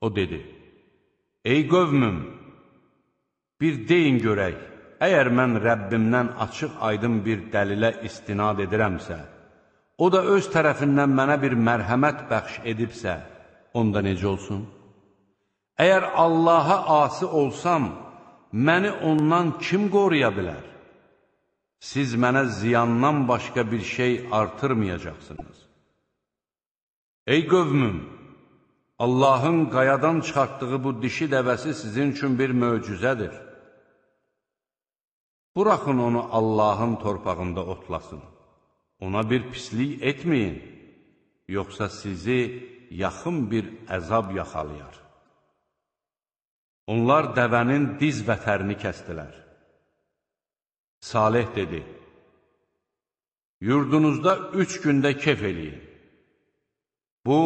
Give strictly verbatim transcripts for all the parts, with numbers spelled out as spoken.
O dedi, ey qövmüm, bir deyin görək, əgər mən Rəbbimdən açıq aydın bir dəlilə istinad edirəmsə, o da öz tərəfindən mənə bir mərhəmət bəxş edibsə, onda necə olsun? Əgər Allaha asi olsam, məni ondan kim qoruya bilər? Siz mənə ziyandan başqa bir şey artırmayacaqsınız. Ey qövmüm, Allahın qayadan çıxartdığı bu dişi dəvəsi sizin üçün bir möcüzədir. Buraxın onu Allahın torpağında otlasın. Ona bir pislik etməyin, yoxsa sizi yaxın bir əzab yaxalayar. Onlar dəvənin diz vətərini kəstilər. Salih dedi, yurdunuzda üç gündə kef eləyin. Bu,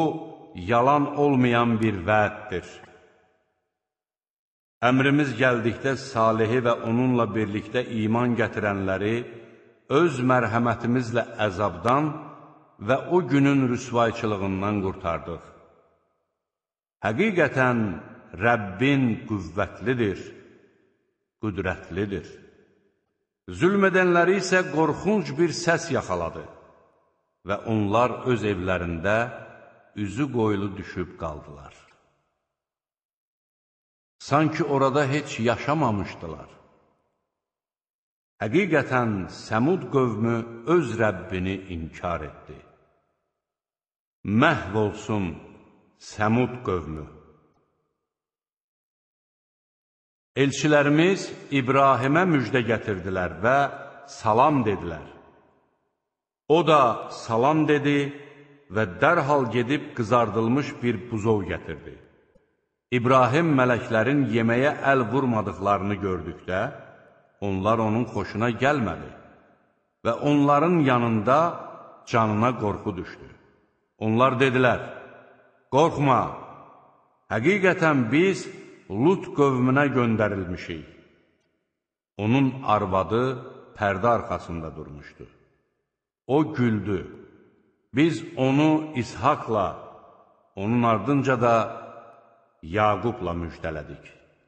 yalan olmayan bir vəddir. Əmrimiz gəldikdə Salihi və onunla birlikdə iman gətirənləri öz mərhəmətimizlə əzabdan və o günün rüsvayçılığından qurtardıq. Həqiqətən Rəbbin qüvvətlidir, qüdrətlidir. Zülm edənləri isə qorxunc bir səs yaxaladı və onlar öz evlərində üzü qoyulu düşüb qaldılar. Sanki orada heç yaşamamışdılar. Həqiqətən Səmud qövmü öz Rəbbini inkar etdi. Məhv olsun Səmud qövmü. Elçilərimiz İbrahimə müjdə gətirdilər və salam dedilər. O da salam dedi və dərhal gedib qızardılmış bir buzov gətirdi. İbrahim mələklərin yeməyə əl vurmadıqlarını gördükdə, onlar onun xoşuna gəlmədi və onların yanında canına qorxu düşdü. Onlar dedilər, qorxma, həqiqətən biz Lut qövmünə göndərilmişik. Onun arvadı pərdə arxasında durmuşdu. O güldü. Biz onu İshakla, onun ardınca da Yaqubla müjdələdik.